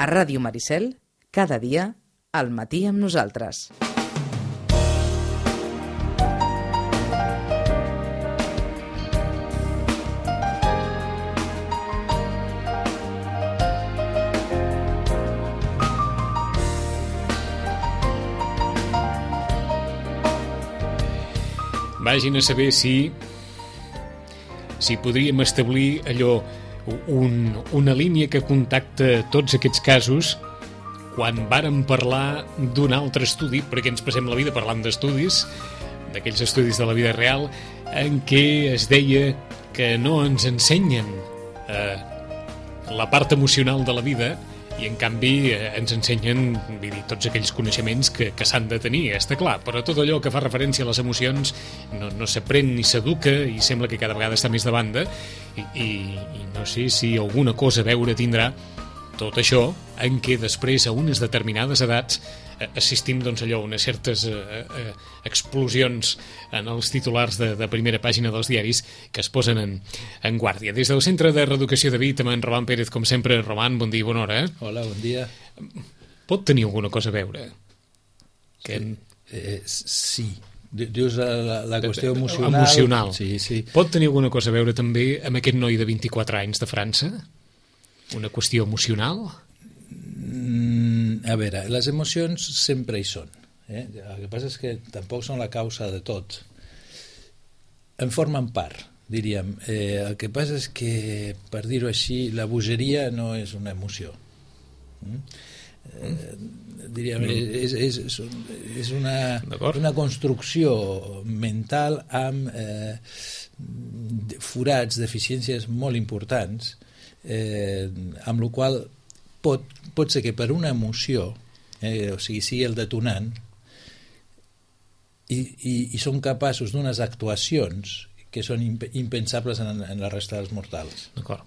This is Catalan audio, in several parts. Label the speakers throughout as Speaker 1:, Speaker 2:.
Speaker 1: A Ràdio Maricel, cada dia, al matí amb nosaltres.
Speaker 2: Vagin a saber si podríem establir allò, una línia que contacta tots aquests casos quan vàrem parlar d'un altre estudi, perquè ens passem la vida parlant d'estudis, d'aquells estudis de la vida real, en què es deia que no ens ensenyen la part emocional de la vida i en canvi ens ensenyen tots aquells coneixements que s'han de tenir, està clar, però tot allò que fa referència a les emocions no s'aprèn ni s'educa i sembla que cada vegada està més de banda i no sé si alguna cosa a veure tindrà tot això en què després a unes determinades edats assistim a unes certes explosions en els titulars de primera pàgina dels diaris que es posen en guàrdia. Des del Centre de Reeducació de Vic, amb en Roman Pérez, com sempre. Roman, bon dia i bona hora.
Speaker 3: Hola, bon dia.
Speaker 2: Pot tenir alguna cosa a veure?
Speaker 3: Sí. Dius la qüestió emocional?
Speaker 2: Emocional.
Speaker 3: Sí.
Speaker 2: Pot tenir alguna cosa a veure també amb aquest noi de 24 anys de França? Una qüestió emocional?
Speaker 3: A veure, les emocions sempre hi són. El que passa és que tampoc són la causa de tot. En formen part, diríem. El que passa és que, per dir-ho així, la bogeria no és una emoció. Diríem, és una construcció mental amb forats, deficiències molt importants, amb la qual pot ser que per una emoció, o sigui el detonant, i són capaços d'unes actuacions que són impensables en la resta dels mortals.
Speaker 2: D'acord.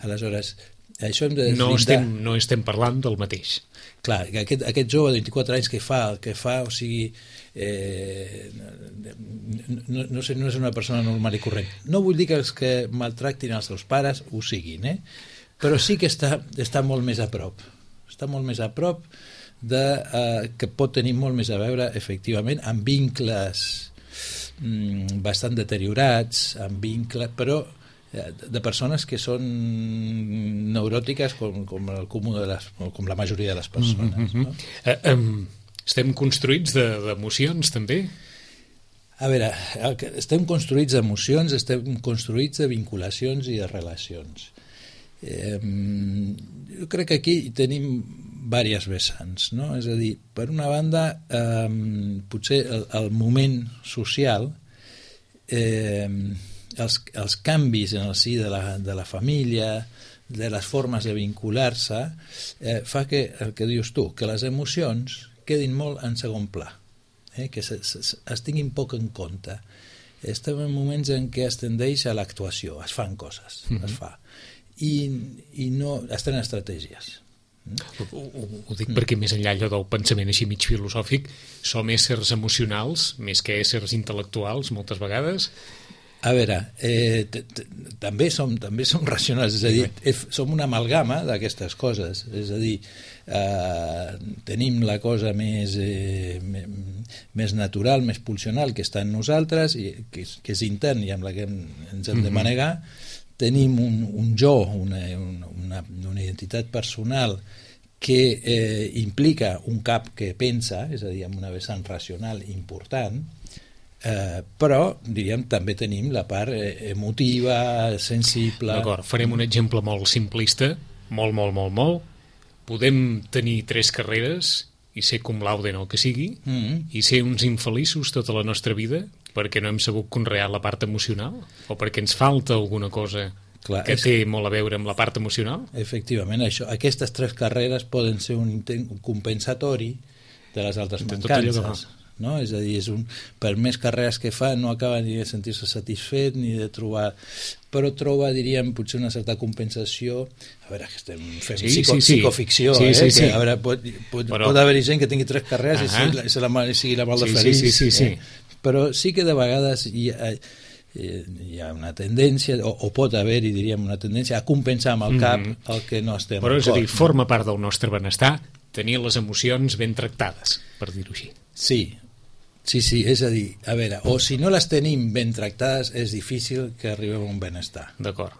Speaker 3: Aleshores, això hem de
Speaker 2: deslindar... No estem parlant del mateix.
Speaker 3: Clar, aquest jove de 24 anys que fa, o sigui, no és una persona normal i corrent. No vull dir que els que maltractin els seus pares ho siguin, però sí que està molt més a prop. Està molt més a prop que pot tenir molt més a veure, efectivament, amb vincles bastant deteriorats, però de persones que són neuròtiques com el comú com la majoria de les persones. No?
Speaker 2: Estem construïts d'emocions, també?
Speaker 3: A veure, estem construïts d'emocions, estem construïts de vinculacions i de relacions. Jo crec que aquí tenim diverses vessants, no? És a dir, per una banda, potser el moment social, els canvis en el si de la família, de les formes de vincular-se, fa que, el que dius tu, que les emocions quedin molt en segon pla, que es tinguin poc en compte. Estem en moments en què es tendeix a l'actuació, es fan coses, es fa, i no es tenen estratègies.
Speaker 2: Ho dic perquè més enllà allò del pensament així mig filosòfic, som éssers emocionals més que éssers intel·lectuals moltes vegades.
Speaker 3: A veure, també som racionals, és a dir, som una amalgama d'aquestes coses, és a dir, tenim la cosa més natural, més pulsional que està en nosaltres, que és intern i amb la que ens hem de manegar. Tenim un jo, una identitat personal que implica un cap que pensa, és a dir, amb una vessant racional important, però, diríem, també tenim la part emotiva, sensible...
Speaker 2: D'acord, farem un exemple molt simplista, molt. Podem tenir 3 carreres i ser cum laude en el que sigui, i ser uns infeliços tota la nostra vida perquè no hem sabut conrear la part emocional o perquè ens falta alguna cosa que té molt a veure amb la part emocional?
Speaker 3: Efectivament, aquestes 3 carreres poden ser un intent compensatori de les altres mancances. No? És a dir, per més carreres que fa no acaba ni de sentir-se satisfet ni de trobar, però troba, diríem, potser una certa compensació. A veure, que estem fent psicoficció, que a veure, pot haver-hi gent que tingui 3 carreres i sigui la mal de feliç.
Speaker 2: Sí.
Speaker 3: Però sí que de vegades hi ha una tendència, o pot haver-hi, diríem, una tendència a compensar amb el cap el que no estem
Speaker 2: Però és a dir,
Speaker 3: no?
Speaker 2: forma part del nostre benestar tenir les emocions ben tractades, per dir-ho així.
Speaker 3: Sí, és a dir, a veure, o si no les tenim ben tractades és difícil que arribem a un benestar.
Speaker 2: D'acord.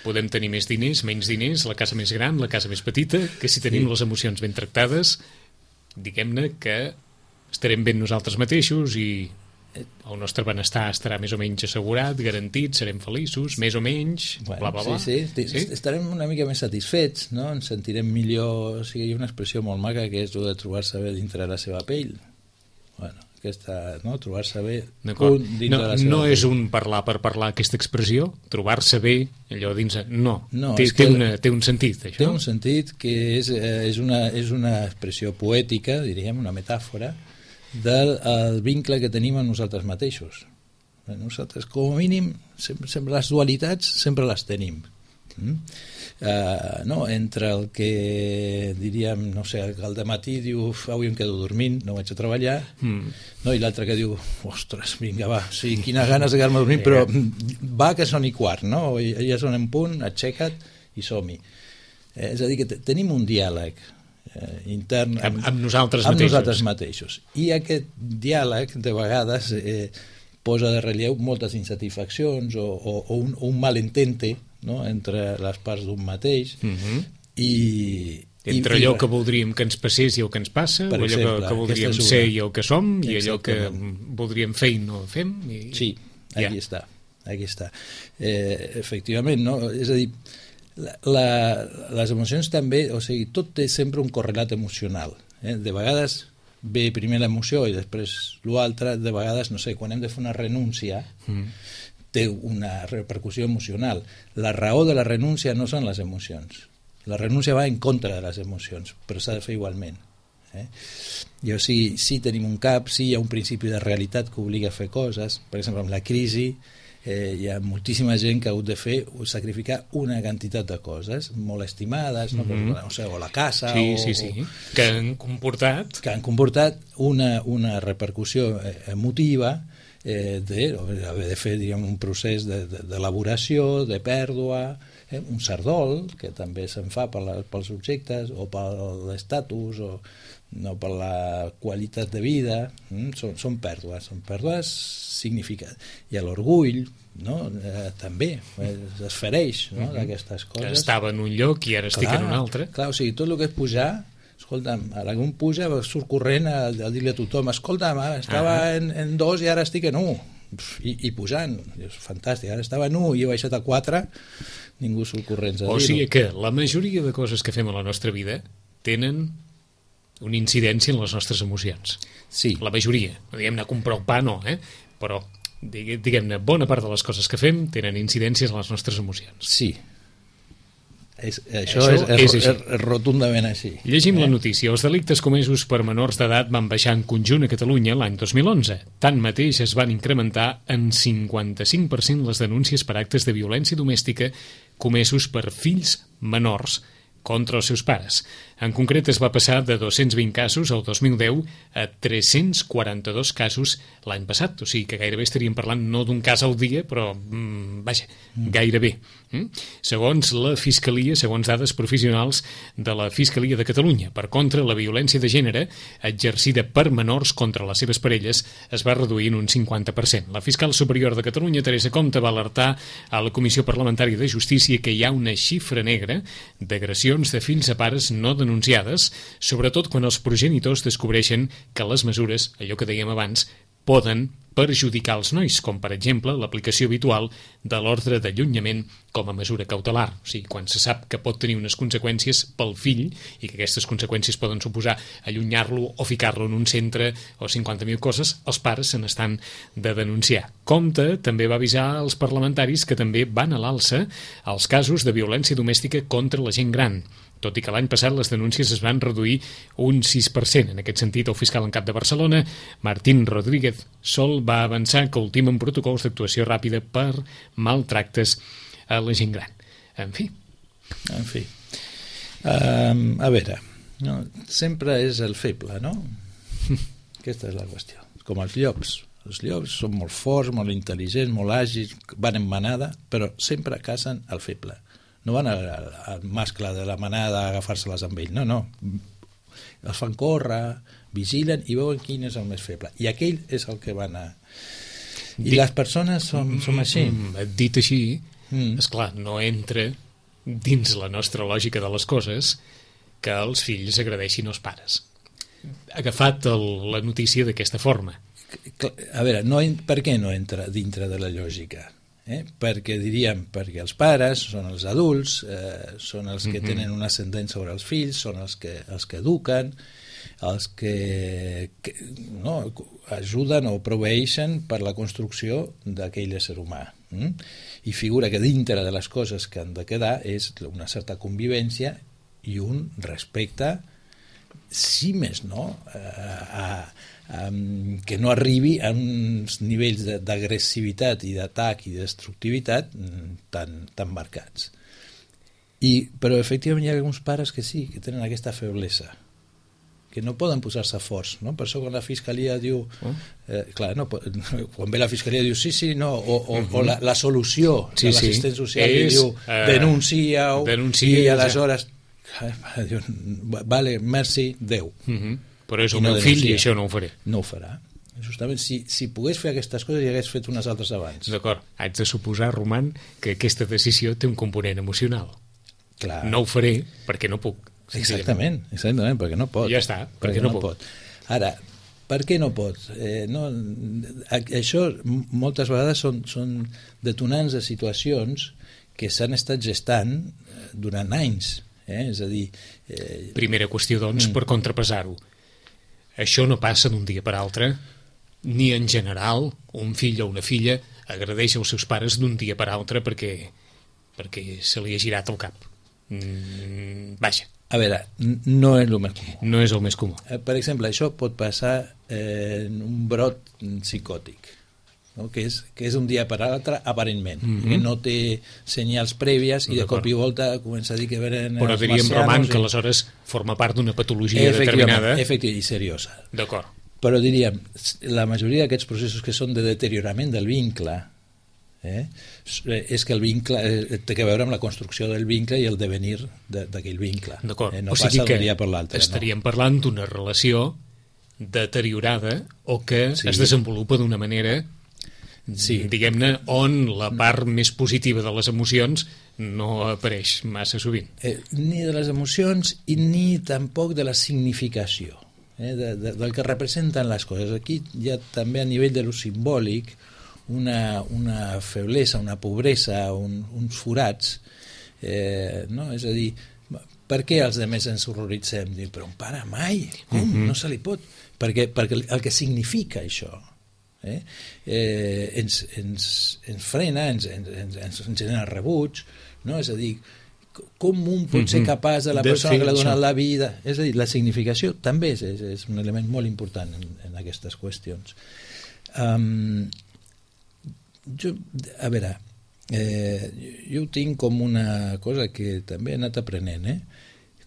Speaker 2: Podem tenir més diners, menys diners, la casa més gran, la casa més petita, que si tenim les emocions ben tractades, diguem-ne que estarem ben nosaltres mateixos i el nostre benestar estarà més o menys assegurat, garantit, serem feliços, més o menys, bla, bla, bla.
Speaker 3: Sí. Estarem una mica més satisfets, no? Ens sentirem millor. O sigui, hi ha una expressió molt maca que és de trobar-se bé dintre la seva pell. Bueno, aquesta, no? Trobar-se bé dintre la seva
Speaker 2: no
Speaker 3: pell.
Speaker 2: és un parlar per parlar, aquesta expressió, trobar-se bé allò dins... No, té un sentit, això.
Speaker 3: Té un sentit que és una expressió poètica, diríem, una metàfora del vincle que tenim amb nosaltres mateixos. Nosaltres, com a mínim, sempre les dualitats sempre les tenim. No? Entre el que diríem, no sé, el dematí diu avui em quedo dormint, no vaig a treballar, no? I l'altre que diu ostres, vinga va, sí, quines ganes de quedar-me dormint, però va que són i quart, no? Ja són en punt, aixeca't i som-hi. És a dir, que tenim un diàleg intern
Speaker 2: amb nosaltres
Speaker 3: mateixos. I aquest diàleg de vegades posa de relleu moltes insatisfaccions o un malentente, no? Entre les parts d'un mateix
Speaker 2: entre allò que voldríem que ens passés i el que ens passa, o allò que voldríem ser i el que som, i allò que voldríem fer i no fem.
Speaker 3: Sí, aquí està. Efectivament, no? És a dir, les emocions també, o sigui, tot té sempre un correlat emocional. De vegades ve primer l'emoció i després l'altre, de vegades, no sé, quan hem de fer una renúncia té una repercussió emocional. La raó de la renúncia no són les emocions. La renúncia va en contra de les emocions, però s'ha de fer igualment. I o sigui, sí tenim un cap, sí hi ha un principi de realitat que obliga a fer coses. Per exemple, amb la crisi hi ha moltíssima gent que ha hagut de sacrificar una quantitat de coses molt estimades, no? No sé, o la casa
Speaker 2: que han comportat
Speaker 3: una repercussió emotiva d'haver de fer, diríem, un procés d'elaboració, de pèrdua, un sardol que també se'n fa pels objectes o per l'estatus o no per la qualitat de vida. Són pèrdues significatives. I l'orgull, no? També es fereix, no? D'aquestes coses.
Speaker 2: Estava en un lloc i ara estic en un altre.
Speaker 3: Clar, o sigui, tot el que és pujar, escolta'm, ara que un puja surt corrent a dir-li a tothom, escolta'm, estava en 2 i ara estic en 1 i pujant, és fantàstic, ara estava en 1 i he baixat a 4, ningú surt corrents a dir-ho.
Speaker 2: O sigui que la majoria de coses que fem a la nostra vida tenen una incidència en les nostres emocions.
Speaker 3: Sí.
Speaker 2: La majoria, no diguem anar a comprar el pa, no, però diguem-ne, bona part de les coses que fem tenen incidències en les nostres emocions.
Speaker 3: Sí. Això és rotundament així.
Speaker 2: Llegim la notícia. Els delictes comesos per menors d'edat van baixar en conjunt a Catalunya l'any 2011. Tanmateix es van incrementar en 55% les denúncies per actes de violència domèstica comesos per fills menors contra els seus pares. En concret, es va passar de 220 casos el 2010 a 342 casos l'any passat. O sigui que gairebé estaríem parlant no d'un cas al dia, però, gairebé. Segons la Fiscalia, segons dades professionals de la Fiscalia de Catalunya, per contra, la violència de gènere exercida per menors contra les seves parelles es va reduir en un 50%. La fiscal superior de Catalunya, Teresa Comte, va alertar a la Comissió Parlamentària de Justícia que hi ha una xifra negra d'agressions de fills a pares no denunciades, sobretot quan els progenitors descobreixen que les mesures, allò que dèiem abans, poden perjudicar els nois, com per exemple l'aplicació habitual de l'ordre d'allunyament com a mesura cautelar. O sigui, quan se sap que pot tenir unes conseqüències pel fill i que aquestes conseqüències poden suposar allunyar-lo o ficar-lo en un centre o 50.000 coses, els pares se n'estan de denunciar. Comte també va avisar als parlamentaris que també van a l'alça els casos de violència domèstica contra la gent gran, tot i que l'any passat les denúncies es van reduir un 6%. En aquest sentit, el fiscal en cap de Barcelona, Martín Rodríguez Sol, va avançar que ultimen protocols d'actuació ràpida per maltractes a la gent gran. En fi.
Speaker 3: A veure, no, sempre és el feble, no? Aquesta és la qüestió. Com els llops. Els llops són molt forts, molt intel·ligents, molt àgils, van en manada, però sempre cacen el feble. No van al mascle de la manada a agafar-se-les amb ell, no. Els fan córrer, vigilen i veuen quin és el més feble. I aquell és el que van a... I les persones som així.
Speaker 2: Dit així, esclar, no entra dins la nostra lògica de les coses que els fills agradeixin als pares. Agafat la notícia d'aquesta forma.
Speaker 3: A veure, per què no entra dintre de la lògica? Perquè perquè els pares són els adults, són els que tenen un ascendent sobre els fills, són els que eduquen, els que ajuden o proveeixen per la construcció d'aquell ésser humà. I figura que dintre de les coses que han de quedar és una certa convivència i un respecte, si més no, que no arribi a uns nivells d'agressivitat i d'atac i de destructivitat tan marcats. Però efectivament hi ha alguns pares que sí, que tenen aquesta feblesa, que no poden posar-se forts, no? Per això quan la fiscalia diu quan ve la fiscalia diu sí, no, o la solució de l'assistent social diu denuncia-ho i aleshores diu, vale, merci, Déu.
Speaker 2: Però és el meu fill i això no ho faré.
Speaker 3: No ho farà. Justament, si pogués fer aquestes coses ja hagués fet unes altres abans.
Speaker 2: D'acord, haig de suposar, Roman, que aquesta decisió té un component emocional.
Speaker 3: Clar.
Speaker 2: No ho faré perquè no puc.
Speaker 3: Exactament, perquè no pot.
Speaker 2: Ja està, perquè no pot.
Speaker 3: Ara, per què no pot? Això moltes vegades són detonants de situacions que s'han estat gestant durant anys. És a dir...
Speaker 2: Primera qüestió, doncs, per contrapesar-ho. Això no passa d'un dia per altre, ni en general un fill o una filla agradeix als seus pares d'un dia per altre perquè se li ha girat el cap. Vaja.
Speaker 3: A veure, no és el més comú.
Speaker 2: No és el més comú.
Speaker 3: Per exemple, això pot passar en un brot psicòtic, no? que és un dia per l'altre aparentment, que no té senyals prèvies i de cop i volta comença a dir que venen
Speaker 2: però diríem, Roman, que aleshores forma part d'una patologia determinada
Speaker 3: i seriosa.
Speaker 2: D'acord.
Speaker 3: Però diríem, la majoria d'aquests processos que són de deteriorament del vincle és que el vincle té a veure amb la construcció del vincle i el devenir d'aquell vincle.
Speaker 2: D'acord.
Speaker 3: No passa d'un dia per l'altre.
Speaker 2: Estaríem parlant d'una relació deteriorada o que es desenvolupa d'una manera diguem-ne, on la part més positiva de les emocions no apareix massa sovint.
Speaker 3: Ni de les emocions i ni tampoc de la significació, del que representen les coses. Aquí hi ha també a nivell de lo simbòlic una feblesa, una pobresa, uns forats, no? És a dir, per què els altres ens horroritzem? Diu, però un pare mai, no se li pot, perquè el que significa això ens frena, ens genera rebuig, no? És a dir, com un pot ser capaç de la persona que l'ha donat la vida, és a dir, la significació també és un element molt important en aquestes qüestions. A veure, jo ho tinc com una cosa que també he anat aprenent,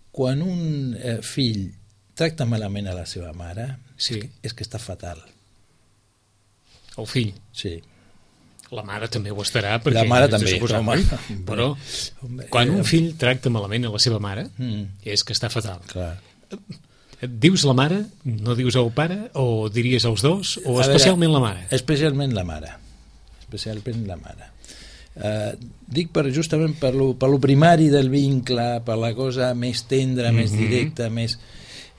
Speaker 3: quan un fill tracta malament a la seva mare és que està fatal.
Speaker 2: El fill?
Speaker 3: Sí.
Speaker 2: La mare també ho estarà, perquè
Speaker 3: la mare també,
Speaker 2: però quan un fill tracta malament a la seva mare és que està fatal.
Speaker 3: Clar.
Speaker 2: Dius la mare, no dius el pare, o diries els dos, o especialment la mare?
Speaker 3: Especialment la mare. Dic justament per lo primari del vincle, per la cosa més tendra, més directa, més...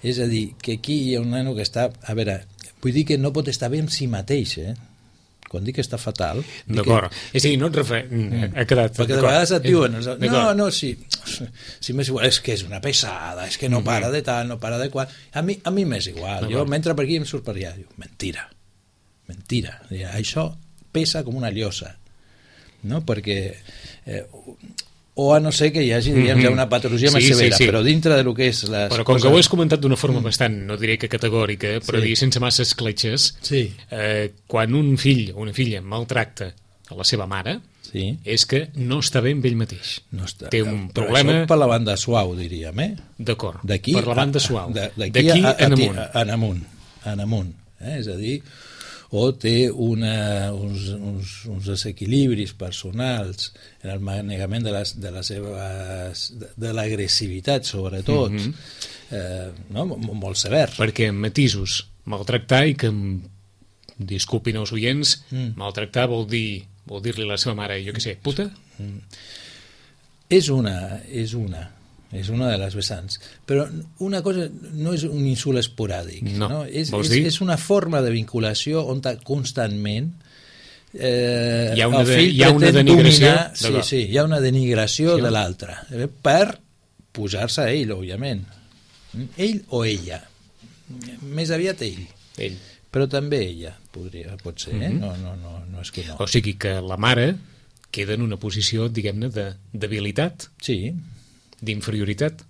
Speaker 3: És a dir, que aquí hi ha un nano que està... A veure, vull dir que no pot estar bé amb si mateix, Quan dic que està fatal...
Speaker 2: D'acord. És a dir, no et ha quedat...
Speaker 3: Perquè de vegades et diuen... Si m'és igual, és que és una pesada, és que no para de tal, no para de qual... A mi m'és igual. Jo m'entra per aquí i em surt per allà. Diu, mentira. Això pesa com una llosa. No? Perquè... o a no ser que hi hagi ja una patologia més severa, però dintre del que és
Speaker 2: però com que ho has comentat d'una forma bastant, no diré que categòrica, però dir sense massa escletxes, quan un fill o una filla maltracta a la seva mare, és que no està bé amb ell mateix. Té un problema...
Speaker 3: Això per la banda suau, diríem,
Speaker 2: D'acord, per la banda suau.
Speaker 3: D'aquí en amunt. És a dir, o té uns desequilibris personals en el manegament de l'agressivitat, sobretot, no? Molt sever.
Speaker 2: Perquè en matisos, maltractar, i que disculpin els oients, maltractar vol dir-li a la seva mare, jo què sé, puta?
Speaker 3: És una de les vessants, però una cosa no és un insult esporàdic, no? És una forma de vinculació on constantment
Speaker 2: hi ha una denigració
Speaker 3: hi ha una denigració de l'altre per pujar-se a ell, òbviament, ell o ella, més aviat ell, però també ella pot ser, no és que no.
Speaker 2: O sigui que la mare queda en una posició, diguem-ne, de debilitat,
Speaker 3: sí,
Speaker 2: d'inferioritat.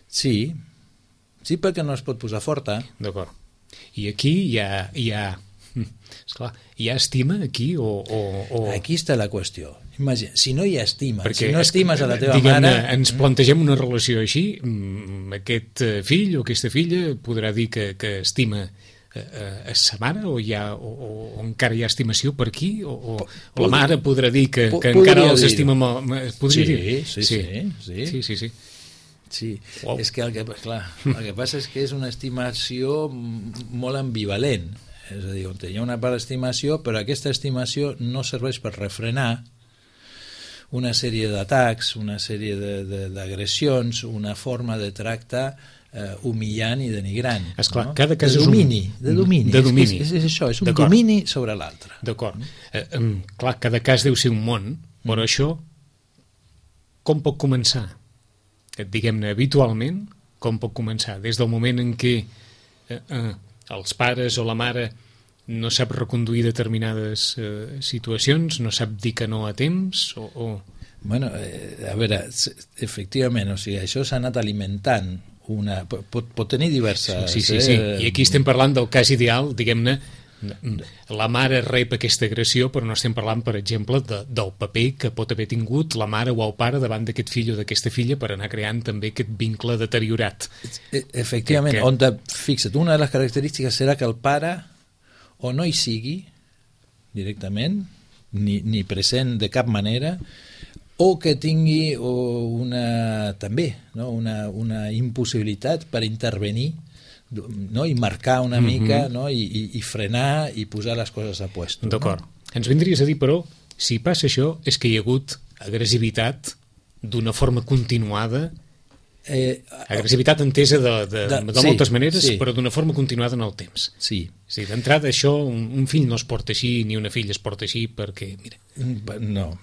Speaker 3: Sí, perquè no es pot posar forta.
Speaker 2: D'acord. I aquí hi ha esclar, hi ha estima aquí o...
Speaker 3: Aquí està la qüestió. Imagina, si no hi ha estima, si no estimes a la teva
Speaker 2: mare...
Speaker 3: Ens
Speaker 2: plantegem una relació així, aquest fill o aquesta filla podrà dir que estima a sa mare, o encara hi ha estimació per aquí, o la mare podrà dir que encara els estima molt.
Speaker 3: Sí. Wow. És que el que passa és que és una estimació molt ambivalent, és a dir, on hi ha una part d'estimació, però aquesta estimació no serveix per refrenar una sèrie d'atacs, una sèrie d'agressions, una forma de tracte humillant i denigrant.
Speaker 2: Esclar, cada cas
Speaker 3: de domini. És això, és un domini sobre l'altre.
Speaker 2: D'acord. Clar, cada cas deu ser un món, però això com pot començar? Diguem-ne, habitualment, com pot començar? Des del moment en què els pares o la mare no sap reconduir determinades situacions, no sap dir que no a temps, o...
Speaker 3: Bueno, a veure, efectivament, o sigui, això s'ha anat alimentant pot tenir diverses...
Speaker 2: Sí. I aquí estem parlant del cas ideal, diguem-ne, la mare rep aquesta agressió, però no estem parlant, per exemple, del paper que pot haver tingut la mare o el pare davant d'aquest fill o d'aquesta filla per anar creant també aquest vincle deteriorat.
Speaker 3: Efectivament, fixa't, una de les característiques serà que el pare o no hi sigui directament, ni present de cap manera, o que tingui també una impossibilitat per intervenir, no? I marcar una mica, no? I frenar i posar les coses a puesto.
Speaker 2: D'acord. Ens vindries a dir, però, si passa això, és que hi ha hagut agressivitat d'una forma continuada, agressivitat entesa de moltes maneres, però d'una forma continuada en el temps.
Speaker 3: Sí.
Speaker 2: D'entrada, això, un fill no es porta així, ni una filla es porta així, perquè, mira...
Speaker 3: No.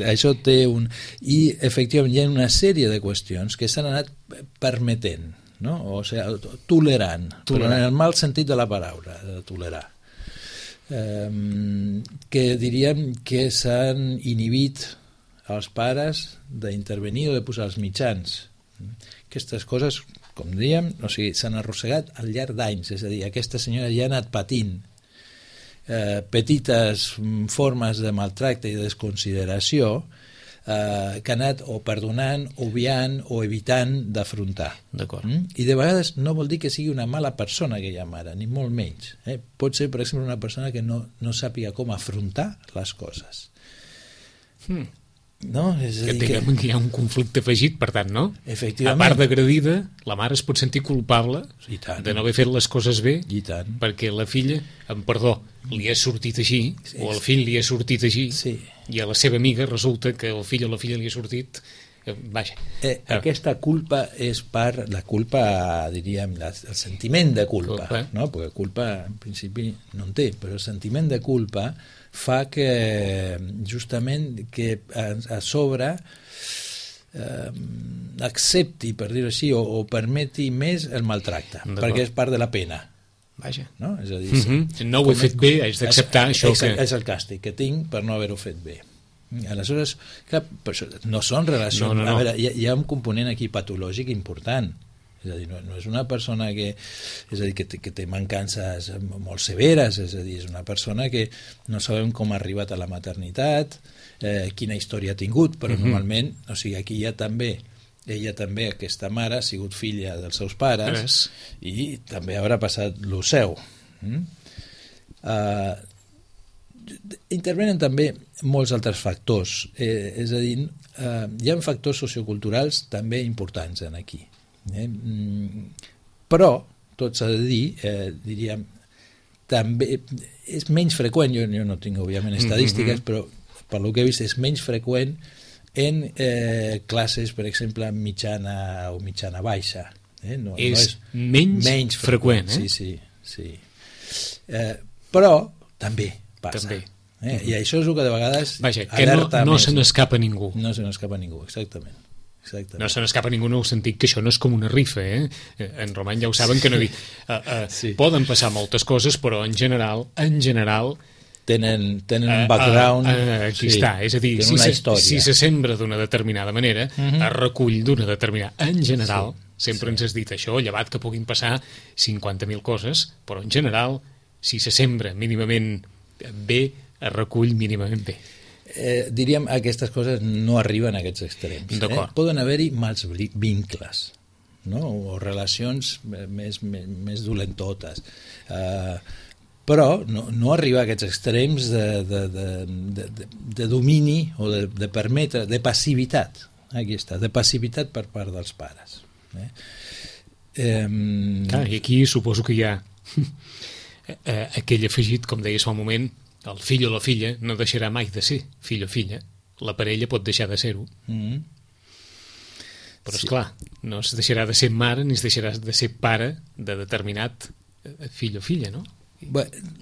Speaker 3: Això té un... I, efectivament, hi ha una sèrie de qüestions que s'han anat permetent, no? O sigui, tolerant, però en el mal sentit de la paraula, de tolerar. Que diríem que s'han inhibit als pares d'intervenir o de posar els mitjans. Aquestes coses, com dèiem, o sigui, s'han arrossegat al llarg d'anys, és a dir, aquesta senyora ja ha anat patint petites formes de maltracte i de desconsideració que ha anat o perdonant, obviant o evitant d'afrontar.
Speaker 2: D'acord.
Speaker 3: I de vegades no vol dir que sigui una mala persona aquella mare, ni molt menys. Pot ser, per exemple, una persona que no sàpiga com afrontar les coses. No? És a dir
Speaker 2: que hi ha un conflicte afegit, per tant, no?
Speaker 3: Efectivament.
Speaker 2: A part d'agredida, la mare es pot sentir culpable de no haver fet les coses bé, perquè la filla, amb perdó, li ha sortit així, o el fill li ha sortit així, i a la seva amiga resulta que el fill o la filla li ha sortit... Vaja.
Speaker 3: Aquesta culpa és part, la culpa, diríem, el sentiment de culpa, no? Perquè culpa, en principi, no en té, però el sentiment de culpa fa que justament que a sobre accepti, per dir-ho així, o permeti més el maltracte, perquè és part de la pena.
Speaker 2: Vaja.
Speaker 3: No? És a dir,
Speaker 2: no ho he fet bé, haig d'acceptar això que...
Speaker 3: És el càstig que tinc per no haver-ho fet bé. Aleshores, clar, no són relacions...
Speaker 2: No.
Speaker 3: A veure, hi ha un component aquí patològic important. És a dir, no és una persona que té mancances molt severes, és a dir, és una persona que no sabem com ha arribat a la maternitat, quina història ha tingut, però normalment, o sigui, aquí ella també, aquesta mare, ha sigut filla dels seus pares i també haurà passat lo seu. Intervenen també molts altres factors, és a dir, hi ha factors socioculturals també importants en aquí. Però, tot s'ha de dir, diríem, també és menys freqüent, jo no tinc òbviament estadístiques, però per lo que he vist és menys freqüent en classes, per exemple, mitjana o mitjana baixa. No
Speaker 2: és menys freqüent,
Speaker 3: Sí. Però també passa.
Speaker 2: També.
Speaker 3: I això és el que de vegades
Speaker 2: vaja, que no se n'escapa ningú.
Speaker 3: No se n'escapa ningú, exactament.
Speaker 2: No se n'escapa ningú en el sentit que això no és com una rifa, En Roman ja ho saben que no dic. Poden passar moltes coses, però en general
Speaker 3: tenen un background.
Speaker 2: Aquí està, és a dir, si se sembra d'una determinada manera, es recull d'una determinada. En general, sempre ens has dit això, llevat que puguin passar 50.000 coses, però en general, si se sembra mínimament bé, es recull mínimament bé.
Speaker 3: Diríem, aquestes coses no arriben a aquests extrems. Poden haver-hi mals vincles, no? O relacions més dolentotes. Però no arriba a aquests extrems de domini o de permetre, de passivitat. Aquí està, de passivitat per part dels pares.
Speaker 2: I aquí suposo que hi ha aquell afegit, com deies fa un moment, el fill o la filla no deixarà mai de ser fill o filla. La parella pot deixar de ser-ho. Però, esclar, no es deixarà de ser mare ni es deixarà de ser pare de determinat fill o filla, no?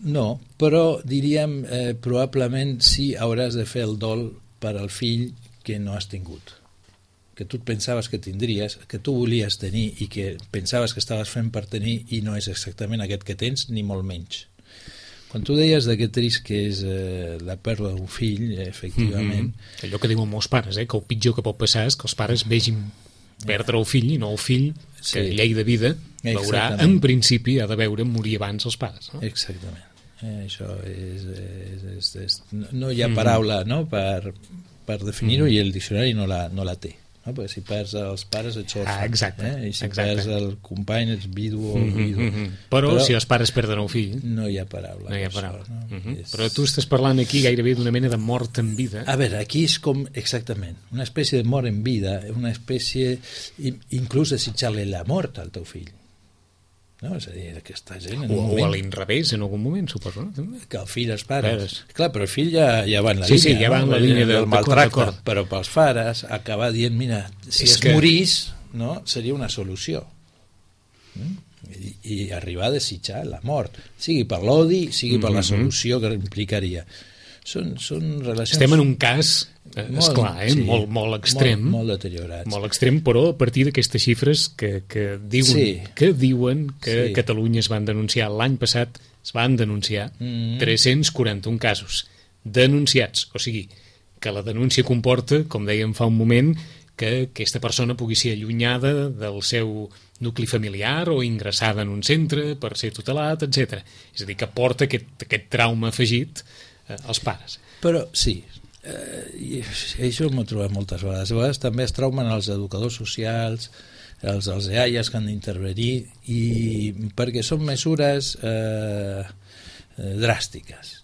Speaker 3: No, però diríem probablement sí hauràs de fer el dol per al fill que no has tingut, que tu pensaves que tindries, que tu volies tenir i que pensaves que estaves fent per tenir i no és exactament aquest que tens, ni molt menys. Quan tu deies de que trist que és la pèrdua d'un fill, efectivament...
Speaker 2: Allò que diuen molts pares, que el pitjor que pot passar és que els pares vegin perdre el fill i no el fill que llei de vida veurà, en principi ha de veure morir abans els pares, no?
Speaker 3: Exactament. Això no hi ha paraula, no?, per definir-ho, i el diccionari no la té, no? Perquè si perds els pares ets orfe, i si perds el company ets vidu o vidu.
Speaker 2: Però si els pares perden el fill
Speaker 3: no hi ha paraula.
Speaker 2: Però tu estàs parlant aquí gairebé d'una mena de mort en vida.
Speaker 3: A veure, aquí és com exactament una espècie de mort en vida, una espècie inclús desitjar-li la mort al teu fill, no? És a dir, aquesta gent
Speaker 2: o a l'inrevés en algun moment, suposo, no?
Speaker 3: Que el fill els pares. Clar, però el fill ja va en la línia,
Speaker 2: ja va en la línia del
Speaker 3: maltracte, però pels pares acabar dient, mira, si es morís, no, seria una solució. I arribar a desitjar la mort, sigui per l'odi, sigui per la solució que implicaria. Són relacions...
Speaker 2: Estem en un cas, esclar, molt extrem.
Speaker 3: Molt deteriorat.
Speaker 2: Molt extrem, però a partir d'aquestes xifres que diuen que Catalunya es van denunciar l'any passat, es van denunciar 341 casos denunciats. O sigui, que la denúncia comporta, com dèiem fa un moment, que aquesta persona pugui ser allunyada del seu nucli familiar o ingressada en un centre per ser tutelat, etc. És a dir, que porta aquest trauma afegit als pares.
Speaker 3: Però sí, i això m'ho he trobat moltes vegades. A vegades també es traumen els educadors socials, els EAIAs que han d'intervenir, perquè són mesures dràstiques.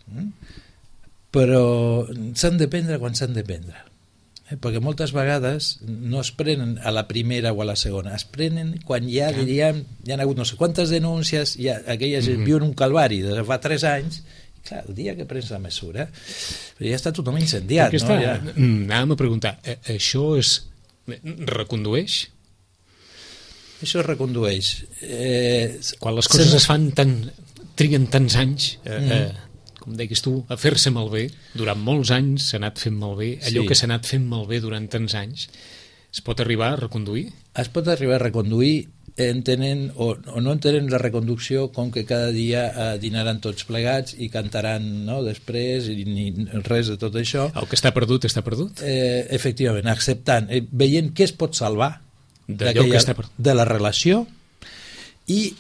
Speaker 3: Però s'han de prendre quan s'han de prendre. Perquè moltes vegades no es prenen a la primera o a la segona, es prenen quan ja diríem, ja ha hagut no sé quantes denúncies, aquella gent viu en un calvari de fa 3 anys. Clar, el dia que prens la mesura ja està tothom incendiat, no?
Speaker 2: Anàvem a preguntar, això es recondueix?
Speaker 3: Això es recondueix.
Speaker 2: Quan les coses es fan triguen tants anys, com deies tu, a fer-se malbé, durant molts anys s'ha anat fent malbé, allò que s'ha anat fent malbé durant tants anys, es pot arribar a reconduir?
Speaker 3: Es pot arribar a reconduir, entenen o no entenen la reconducció com que cada dia dinaran tots plegats i cantaran, no?, després, i ni res de tot això.
Speaker 2: El que està perdut, està perdut?
Speaker 3: Efectivament, acceptant, veient què es pot salvar
Speaker 2: de
Speaker 3: la relació i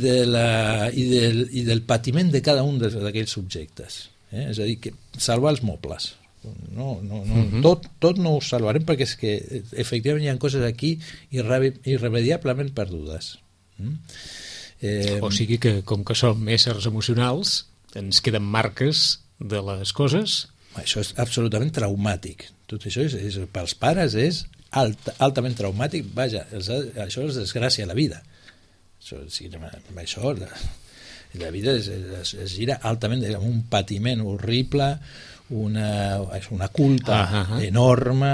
Speaker 3: del patiment de cada un d'aquells subjectes. És a dir, que salvar els mobles. Tot no ho salvarem, perquè és que efectivament hi ha coses aquí irremediablement perdudes.
Speaker 2: O sigui que, com que som éssers emocionals, ens queden marques de les coses.
Speaker 3: Això és absolutament traumàtic. Tot això pels pares és altament traumàtic. Vaja, això és desgràcia a la vida. La vida es gira altament amb un patiment horrible, una culpa enorme,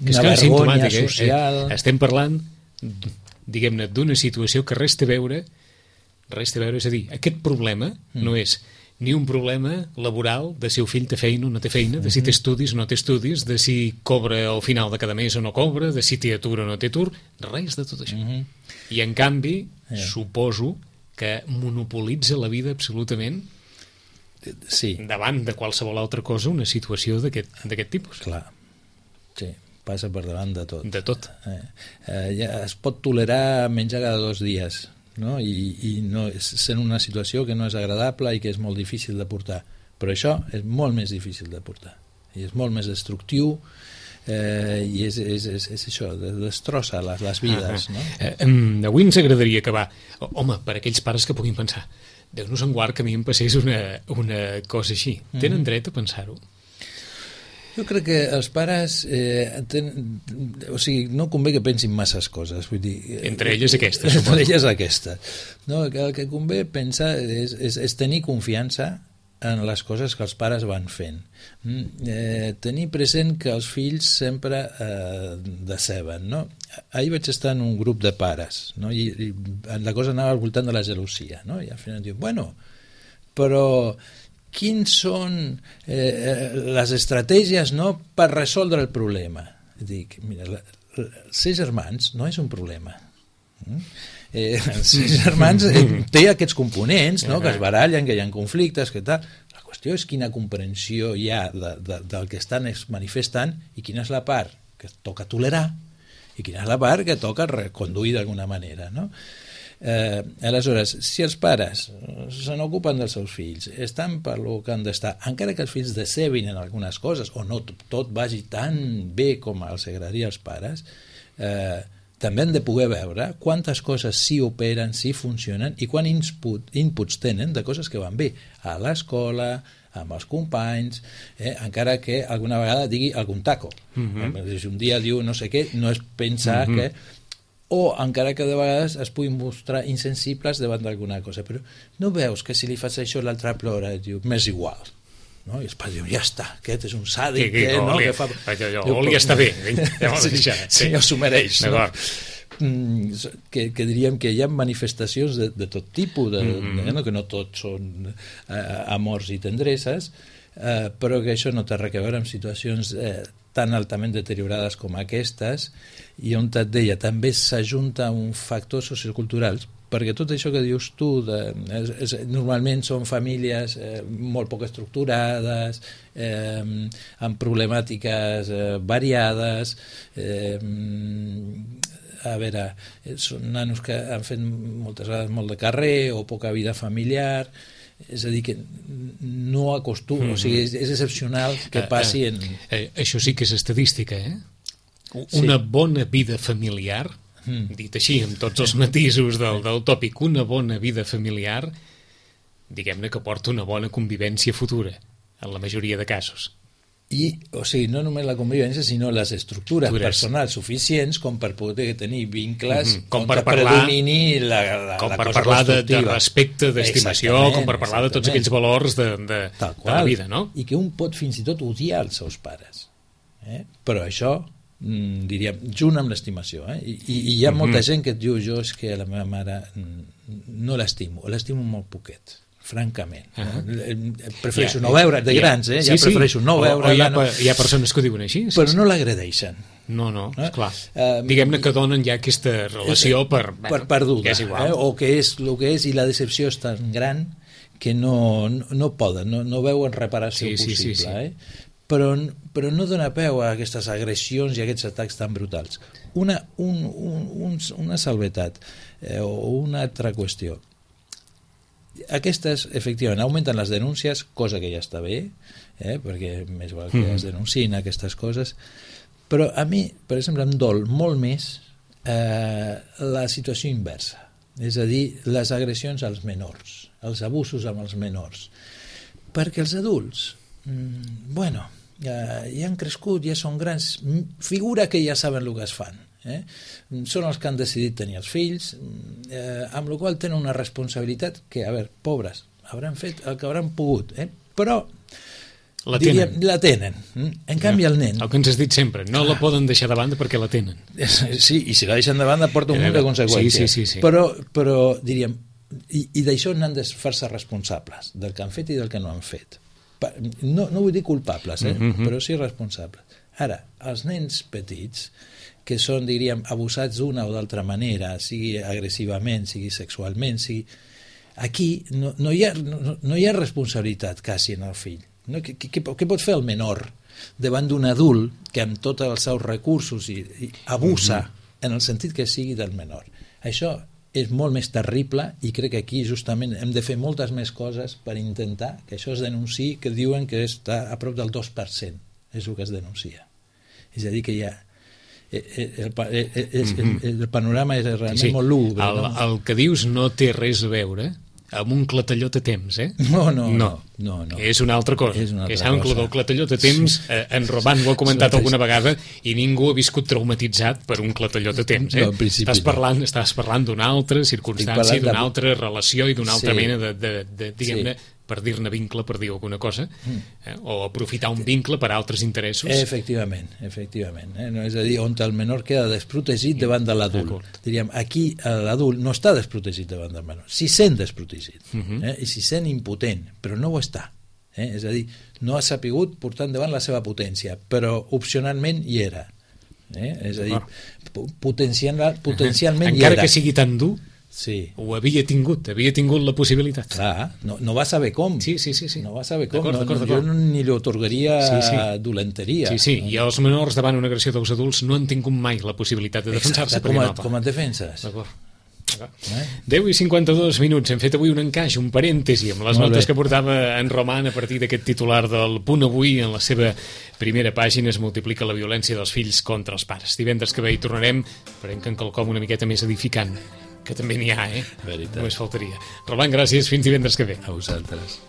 Speaker 3: una vergonya social.
Speaker 2: Estem parlant, diguem-ne, d'una situació que res té a veure, és a dir, aquest problema no és ni un problema laboral de si el fill té feina o no té feina, de si té estudis o no té estudis, de si cobra al final de cada mes o no cobra, de si té atur o no té atur, res de tot això. I en canvi, suposo que monopolitza la vida absolutament davant de qualsevol altra cosa una situació d'aquest tipus.
Speaker 3: Clar, sí, passa per davant de tot.
Speaker 2: De tot.
Speaker 3: Ja es pot tolerar menjar cada 2 dies, no? I no, sent una situació que no és agradable i que és molt difícil de portar, però això és molt més difícil de portar i és molt més destructiu, i és això, destrossa les vides, no?
Speaker 2: Avui ens agradaria acabar, home, per aquells pares que puguin pensar, Déu-nos en guard que a mi em passés una cosa així. Tenen dret a pensar-ho?
Speaker 3: Jo crec que els pares no convé que pensin masses coses, vull dir,
Speaker 2: entre elles aquesta,
Speaker 3: suposo. Entre elles aquesta. No, el que convé pensar és tenir confiança en les coses que els pares van fent. Tenir present que els fills sempre deceben, no? Ahir vaig estar en un grup de pares, no? I la cosa anava al voltant de la gelosia, no? I al final diu, bueno, però quins són les estratègies, no?, per resoldre el problema. Dic, mira, ser germans no és un problema. Ser germans té aquests components, no?, que es barallen, que hi ha conflictes, que tal. La qüestió és quina comprensió hi ha del que estan manifestant i quina és la part que toca tolerar i quina és la part que toca reconduir d'alguna manera, no? Aleshores, si els pares se n'ocupen dels seus fills, estan per lo que han d'estar, encara que els fills decebin en algunes coses o no tot vagi tan bé com els agradaria als pares, també han de poder veure quantes coses sí operen, sí funcionen i quant inputs tenen de coses que van bé a l'escola, amb els companys, encara que alguna vegada digui algun taco. Si un dia diu no sé què, no és pensar que... O encara que de vegades es puguin mostrar insensibles davant d'alguna cosa. Però no veus que si li fas això l'altre plora i diu, m'és igual. No? I els pares diuen, ja està, aquest és un sàdic, no? Que fa...
Speaker 2: Oli està bé,
Speaker 3: sí, s'ho mereix, no? Que diríem que hi ha manifestacions de tot tipus, que no tots són amors i tendreses, però que això no té res a veure amb situacions tan altament deteriorades com aquestes, i on et deia, també s'ajunta un factor socioculturals, perquè tot això que dius tu normalment són famílies molt poc estructurades, amb problemàtiques variades, a veure, són nanos que han fet moltes vegades molt de carrer o poca vida familiar, és a dir, que no acostuma, o sigui, és excepcional que passi en...
Speaker 2: Això sí que és estadística, Una bona vida familiar, dit així, amb tots els matisos del tòpic, una bona vida familiar, diguem-ne que porta una bona convivència futura, en la majoria de casos.
Speaker 3: O sigui, no només la convivència, sinó les estructures personals suficients com per poder tenir vincles
Speaker 2: com per predomini
Speaker 3: la
Speaker 2: com per
Speaker 3: cosa
Speaker 2: parlar de respecte, d'estimació, com per parlar de tots aquells valors de la vida, no?
Speaker 3: I que un pot fins i tot odiar els seus pares. Però això, diríem, junt amb l'estimació. I hi ha molta gent que et diu, jo és que a la meva mare no l'estimo molt poquet, francament. Prefereixo no veure, de grans, prefereixo no veure.
Speaker 2: Hi ha persones que ho diuen així.
Speaker 3: Però no l'agredeixen.
Speaker 2: No, esclar. Diguem-ne que donen ja aquesta relació per
Speaker 3: perduda.
Speaker 2: Que és igual.
Speaker 3: O que és el que és, i la decepció és tan gran que no poden, no veuen reparació possible. Però no dona peu a aquestes agressions i a aquests atacs tan brutals. Una salvetat o una altra qüestió. Aquestes, efectivament, augmenten les denúncies, cosa que ja està bé, perquè més val que es denunciïn aquestes coses, però a mi, per exemple, em dol molt més la situació inversa. és a dir, les agressions als menors, els abusos amb els menors. Perquè els adults, bueno, ja han crescut, ja són grans, figura que ja saben el que es fan. Són els que han decidit tenir els fills, amb la qual tenen una responsabilitat que, a veure, pobres, hauran fet el que hauran pogut, però
Speaker 2: la tenen.
Speaker 3: La tenen. En canvi, el nen...
Speaker 2: El que ens has dit sempre, no la poden deixar de banda perquè la tenen.
Speaker 3: Sí, i si la deixen de banda porta un munt de conseqüències.
Speaker 2: Sí.
Speaker 3: Però diríem, i d'això n'han de fer-se responsables, del que han fet i del que no han fet. No vull dir culpables, però sí responsables. Ara, els nens petits, que són, diríem, abusats d'una o d'altra manera, sigui agressivament, sigui sexualment, sigui... Aquí no hi ha responsabilitat quasi en el fill. Què pot fer el menor davant d'un adult que amb tots els seus recursos i abusa en el sentit que sigui del menor? Això és molt més terrible i crec que aquí justament hem de fer moltes més coses per intentar que això es denunciï, que diuen que està a prop del 2%, és el que es denuncia. És a dir, que hi ha el panorama és realment molt lúgubre.
Speaker 2: El que dius no té res a veure amb un clatellot a temps,
Speaker 3: No.
Speaker 2: És una altra cosa. Que saben que el clatellot a temps, en Roman ho ha comentat alguna vegada i ningú ha viscut traumatitzat per un clatellot a temps. Estàs parlant d'una altra circumstància, d'una altra relació i d'una altra mena de diguem-ne, per dir-ne vincle, per dir alguna cosa, o aprofitar un vincle per a altres interessos.
Speaker 3: Efectivament. No, és a dir, on el menor queda desprotegit davant de l'adult. Diríem, aquí l'adult no està desprotegit davant del menor, s'hi sent desprotegit, i s'hi sent impotent, però no ho està. És a dir, no ha sapigut portar endavant la seva potència, però opcionalment hi era. És a dir, potencialment hi era.
Speaker 2: Encara que sigui tan dur,
Speaker 3: sí.
Speaker 2: Ho havia tingut la possibilitat.
Speaker 3: Clar, no va saber com.
Speaker 2: Sí.
Speaker 3: No va saber com.
Speaker 2: D'acord.
Speaker 3: Jo ni li otorgaria dolenteria.
Speaker 2: Sí. I els menors davant una agressió dels adults no han tingut mai la possibilitat de defensar-se.
Speaker 3: Com et defenses?
Speaker 2: D'acord. 10:52 minuts. Hem fet avui un encaix, un parèntesi amb les notes que portava en Roman a partir d'aquest titular del Punt Avui. En la seva primera pàgina es multiplica la violència dels fills contra els pares. Divendres que ve hi tornarem, esperem que en quelcom una miqueta més edificant, que també n'hi ha,
Speaker 3: Veritat.
Speaker 2: Només faltaria. Roman, gràcies, fins divendres que ve.
Speaker 3: A vosaltres.